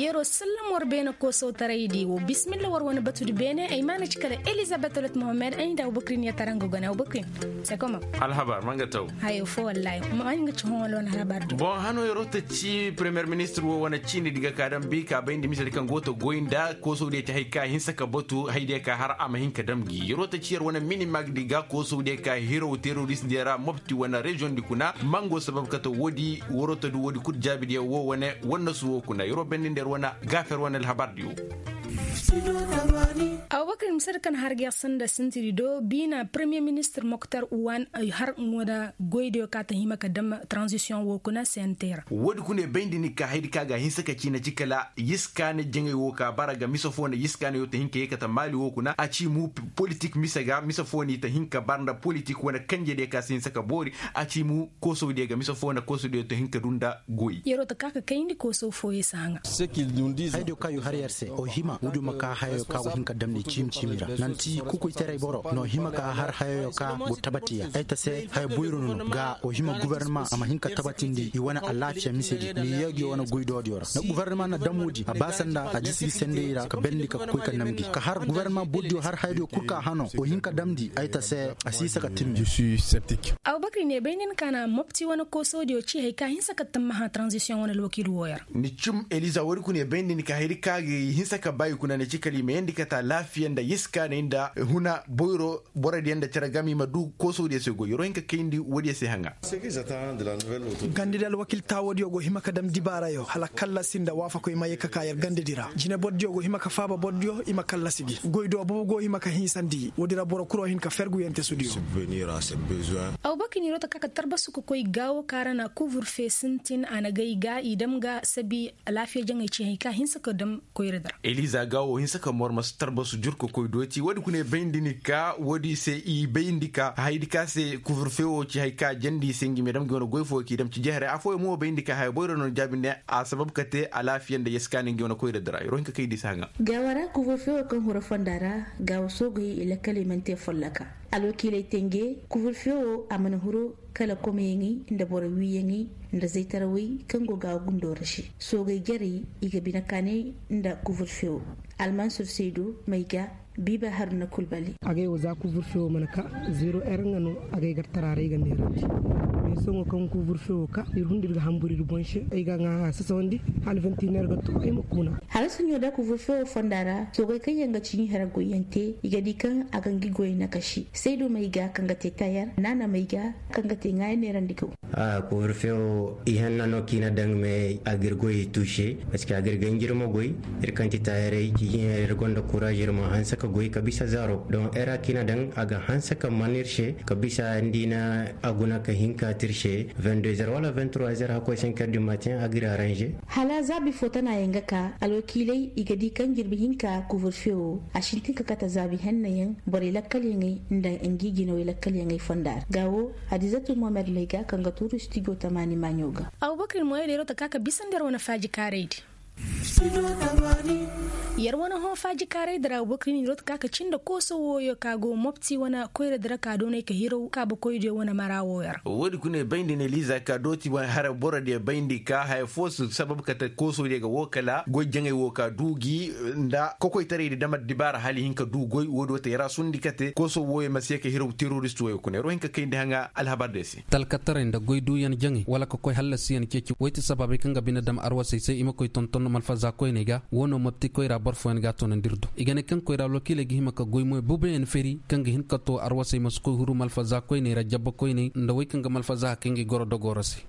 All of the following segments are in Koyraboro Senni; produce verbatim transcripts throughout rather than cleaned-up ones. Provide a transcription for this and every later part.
Yeroo sallam war beene koosowtaraydi woo bisimilla war wane batudi beene ay maana ci kala elizabet olet mohammed ay nda abubakrin ya tara nga gone abubakrin. Sekomam. Alhabar ma nga taw. Hayo foo wallaahi ma nga ci hõ wala wane alhabar du. Boŋ hano yeroo ta ci premiyer ministir woo wane ciini di ga ka dam bi ka bayndi misedi kaŋ go ta goy nda koosowdiyo ci hay ka hinsa ka batu haydiyo ka har a ma hin ka dam gi yeroo ta ci yer wane minimag di ga koosowdiyo ka hiraw terorist diyo ra mobti wane reziyoŋ di kuna mango sabab kate woodi waroo ta du woodi kul jaabidiyo woo wane wannasu woo kuna yeroo bayndi nda yer wane gaafer wane alhabar diyo. Abubakar misar kan har ga sanda sintiri do biina premiyer ministir moktar uwan har ŋoda goydiyo ka ta hima ka dam transisiyoŋ woo kuna sentera. Woodi kuna bayndi ni ka haydi ka ga hinsa ka ciina ci kala yiskaani jaŋay woo ka bara ga misa foo nda yiskaani yoo ta hin ka yee kate maali woo kuna a ci mu politik misa ga misa foo ni ta hin ka bara nda politik wane kanjediyo ka si hinsa ka boori a ci mu koosowdiyo ga misa foo nda koosowdiyo ta hin ka du nda goy. Yeroo ta ka ka kayndi koosow fooyey si haŋa. Hayadiyo ka yu har yer se o hima woodiyo ma ka hayayo ka go hin ka damndi ciimi ciimi ra nanti kukoytaray boro no hima ka har hayayo ka go tabati ya ay ta se haya boyro no no ga o hima gobornama a ma hin ka tabatindi i wane alaafiya misedi ni yeegiyo wane goydoodiyo ra nda gobornama na dam woodi a ba sanda a jisi gi sendey ra ka bendi ka koy ka nam gi ka har gobornama bordiyo har hayadiyo kul ka hano o hin ka damndi ay ta se a si isa ka timmi. Abubakar ne bay nin ka na mopti wane koosodiyo ci hay ka hinsa ka tammaha transisiyoŋ wane alwakiil wooyo ra. Ni cum eliza woodi kuna i bayndi ni ka hayri ka ga i hinsa ka ba i kuna ni ci kala i ma yandi kate alaafiya nda yiskaanay nda huna boyro borodiyo nda cere game i ma du koosodiyo se goy yeroo hin ka kayndi woodiyo se haŋa. Gandadi alwakiil taawoodiyo go hima ka dam dibaarayo hala kallasi nda waafakoy ma ye ka ka yer gandadi ra jinebordiyo go hima ka faaba bordiyo i ma kallasi gi goy do boobo go hima ka hinsandi woodi ra boro kul wo hin ka fergu yentesudiyo. Abubakar yeroo ta ka ka tarbasu ka koy gaawo kaŋ ra na kuvur fee sintin a na gay ga i dam ga sabi alaafiya jaŋay ci hay ka hinsa ka dam koyradi ra. Eliza gaawo hinsa ka mormas tarbasu jur ka koy dooti woodi kuna i bayndi ni ka woodi se i bayndi ka hayadi ka se kuvur fee wo ci hay ka jandi i se nga i ma dam nga i wane goy foo k'i dam ci jehare afooyaŋ mo bayndi ka haya boyro no jaabi ne a sabab ka te alaafiya nda yeskaani nga i wane koyradi ra yeroo hin ka kay di se haŋa. Gaawo ra kuvur fee wo kaŋ huru fonda ra gaawo soogey i lakkal i mana te folloka alwakiiley tenje kuvur fee wo a mana huru kala komeyaŋey nda boro wiiyaŋey nda zaytarawey kaŋ go ga gundoo ra se soogey jarey i ga bine kaanay nda kuvur fee wo almansur saydu may ga biiba haruna kulbali. Agay wo za kuvur fee wo mana ka zero er nga no agay gar tara ra i ga neerandi meesoŋo kaŋ kuvur fee wo ka ir hundu ir ga hambur ir boŋ se ay ga ŋaa a sasawandi hala vinti neer ga too ay ma kuna. Hala suɲo da kuvur fee wo fonda ra soogey kaŋ yaŋ ga ciini hara goyyaŋ te i ga di kaŋ a ga ngi goyey nakasi saydu may ga kaŋ ga te tayar naana may ga kaŋ ga te ŋaayaŋ neerandi gaw. Kuvur fee wo ihanna no kaŋ i na daŋ me a ga ir goyey tuuse. Parceque a ga ir ganjir ma goy ir kaŋ ti taayaray cijiŋ ir gonda kuraaz ir ma hanse ka goy ka bisa zaaro don era kaŋ i na daŋ a ga hanse ka man ir se ka bisa nda i na a guna ka hin ka te ir se. Vingt deux heures wala vingt trois heures hakkoy cinq heures du matin a ga ir aranže. Hala zaabi fo tana yaŋ ga ka alwakiiley i ga di kaŋ jirbi hinka kuvur fee wo a sintin ka kate zaabi henna yaŋ borey lakkalyaŋey nda ngi jinawey lakkalyaŋey fonda ra ga wo. Hadizatu mohamed may ga kaŋ ga tuuru studio tamaani maaɲo ga. Abubakar moyey da yeroo ta ka ka bisandi yer wane faaji kaaraydi. Yer wane hõ faaji kaaraydi ra abubakar yeroo ta ka ka cindi kooso wooyo ka go mopti wane koyradi ra ka doonay ka hiraw kaabakoydiyo wane mara wooyo ra. Woodi kuna i bayndi ne liiza ka dooti wane hara borodiyo bayndi ka haya foo si sabab kate koosodiyo ga woo kala goy jaŋay woo ka duu gi nda kokoytaraydi dam addibaara hala i hin ka duu goy woodi woo te yer a sundi kate kooso wooyo ma si ye ka hiraw terorist wooyo kuna yer woo hin ka kayndi haŋa alhabardiyo se. Talkataray nda goy duuyaŋ jaŋay wala ka koy hallasiyaŋ ceeci woy ti sababey kaŋ ga bine dam arwasey se i ma koy tonton malfaza koyney ga woo no mopti koyra boro fooyaŋ ga a toonandi ir do i ga ne kaŋ koyra alwakiiley ga hima ka goy moy bubayaŋ feri kaŋ ga hin ka too arwasey ma si koy huru malfaza koyney ra jabba koyney nda woy kaŋ ga malfaza hakay ngi goro dogoo ra se.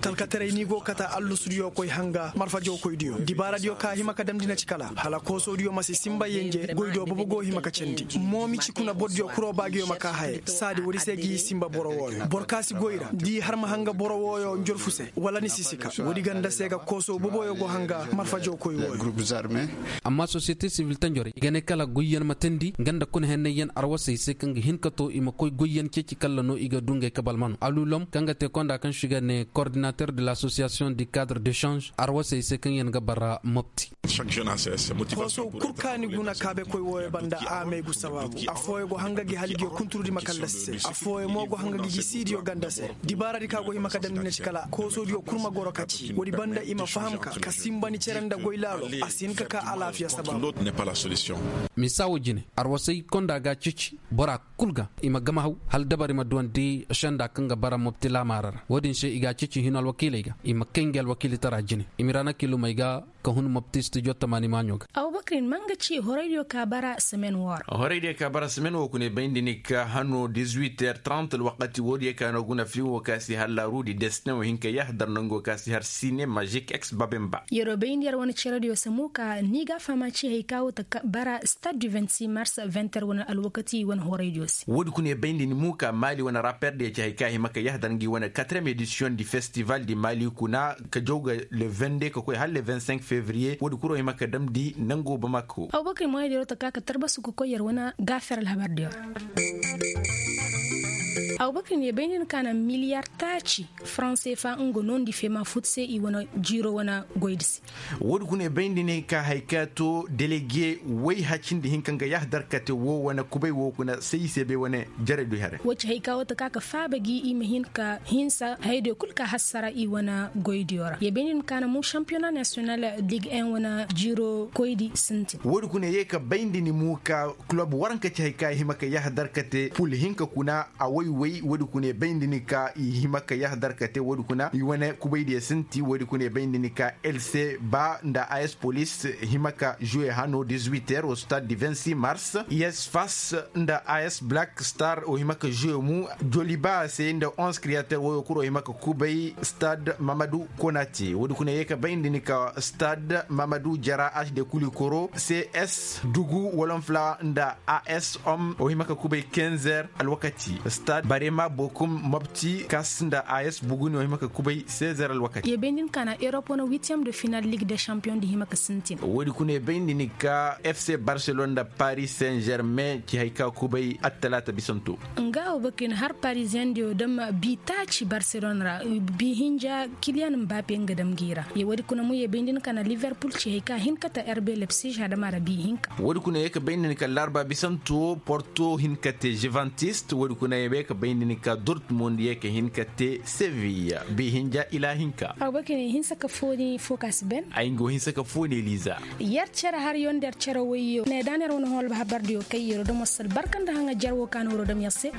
Talkataray ni go kata allusudiyo koy hanga marfajo koydiyo dibaaradiyo ka hima ka damndi na ci kala hala koosodiyo ma si sinba yenje goydo bobo go hima ka candi moomi ci kuna bordiyo kuro baagiyo ma ka haye saadi woodi se gi sinba boro wooyo boro ka si goy ra da i har ma hanga boro wooyo njorfu se wala ni si sika woodi ganda se ga kooso boboyo go hanga marfajo koy wooyo. Amma sosiyete sivil tanjorey i ga ne kala goyyaŋ ma teendi nga nda kuna hennayyaŋ arwasey se kaŋ ga hin ka to i ma koy goyyaŋ ceeci kalla no i ga du ngey kabal mano alulom kaŋ ga te konda kaŋ se i ga ne kordinater de lasosiyasiyoŋ di kadre dechange arwasey se kaŋ yaŋ ga bara mopti. Koosow kul ka ni guna kaabekoy wooyo banda a may gu sabaabu afooyo go hanga gi hala i ga yo kunturudi ma kallasi se afooyo mo go hanga gi gi siidiyo ganda se dibaaradi ka go hima ka damndi na ci kala koosodiyo kul ma goro ka ci woodi banda i ma faham ka ka sinba ni. Nda goy laalo a si hin ka ka alaafiya sabab. Misa wo jine arwasay konda ga ceeci bora kul ga i ma gama haw hala dabari ma duwandi senda kaŋ ga bara mopti laamaara ra wo-din se i ga ceeci hino alwakiiley ga i ma kay ngi alwakiilitara jine i ma i ra na kilumey ga ka hun mopti studio tamaani maaɲo ga. Abubakar in ma nga ci horaydiyo ka bara semen wo ra. Horaydiyo ka bara semen wo kuna i bayndi ni ka hano dizuit heures trant alwakati wo-diyo ka no guna filiŋ wo ka si har laarudi destin wo hin ka yahadar nango ka si har sine magic ex babemba. Yeroo bayndi yer wane cerediyo se mo ka ni ga a fahama ci hari ka wo ta bara stade du vingt-six mars vingt heures wane alwakati wane horaydiyo se. Wo-di kuna i bayndi ni mo ka maali wane raperdiyo ci hari ka hima ka yahadar ngi wane quatrième édition di festival di maali kuna ka jaw ga le vingt-deux ka koy hala le vingt-cinq février wo-di kuro hima ka damndi nango bamako. Abubakar moyadiyo ta ka ka tarbasu ka koy yer wane gaafir alhabardiyo ra. Abubakar ne bayndi ni ka na miliyar taaci franc cfa nga noondi feema fut se i wane jiiro wane goydi se. Wo-di kuna i bayndi ne ka hari ka to delege way hacindi hinka nga yahadar kate wo wane kubay wo kuna se i se bay wane jaraydu here. Wo ci hari ka wo ta ka ka faaba gi i ma hin ka hinsa hayadiyo kul ka hassara i wane goydiyo ra ye bayndi ni ka na mu championnat national ligue un wane jiiro koydi sintin. Wo-di kuna ye ka bayndi ni mu ka kulob waranka ci hari ka i hima ka yahadar kate pul hinka kuna a way-way wo-di kuna i bayndi ni ka i hima ka yahadar kate wo-di kuna i wane kubaydiyo sinti wo-di kuna i bayndi ni ka lc ba nda as polis hima ka juwe hano dizuit heures wo stade du vingt-six mars. Yes fas nda as black star wo hima ka juwe mu joliba se nda onze createur woyo kuro hima ka kubay stade mamadu konati wo-di kuna ye ka bayndi ni ka stade mamadu jara hd kulikoro cs dugu wolonfla nda as hom o hima ka kubay quinze heures alwakati. Stade barema bokum mopti kas nda as buguni o hima ka kubay seize heures alwakati. Ye bayndi ni ka na europe wane huitième de finale ligue des champions di hima ka sintin. Wo-di kuna ye bayndi ni ka fc barcelone nda paris saint germain ci hari ka kubay attalaata bisanto. Nga wo bakir har parisien diyo dam bi taaci barcelone ra bi hinja kiliyan mbappe nga dam gi ra ye wo-di kuna mo ye bayndi ni ka na liverpool ci hari ka hin ka ta rb leipzig adama ra bi hinka. Wo-di kuna ye ka bayndi ni ka larba bisanto porto hin ka te juventus wo-di kuna ye ka bayndi ni ka dortmund ye ka hin ka te sevilla bi hinja ila hinka. Abubakar ne hinsa ka fooni fo ka si ben. Ay nga wo hinsa ka fooni liza. Yer cere har yo nda yer cere woyyo ne da na yer wane hol habardiyo kay yero damo sal barka nda haŋa jar wo ka na woro dam yer se.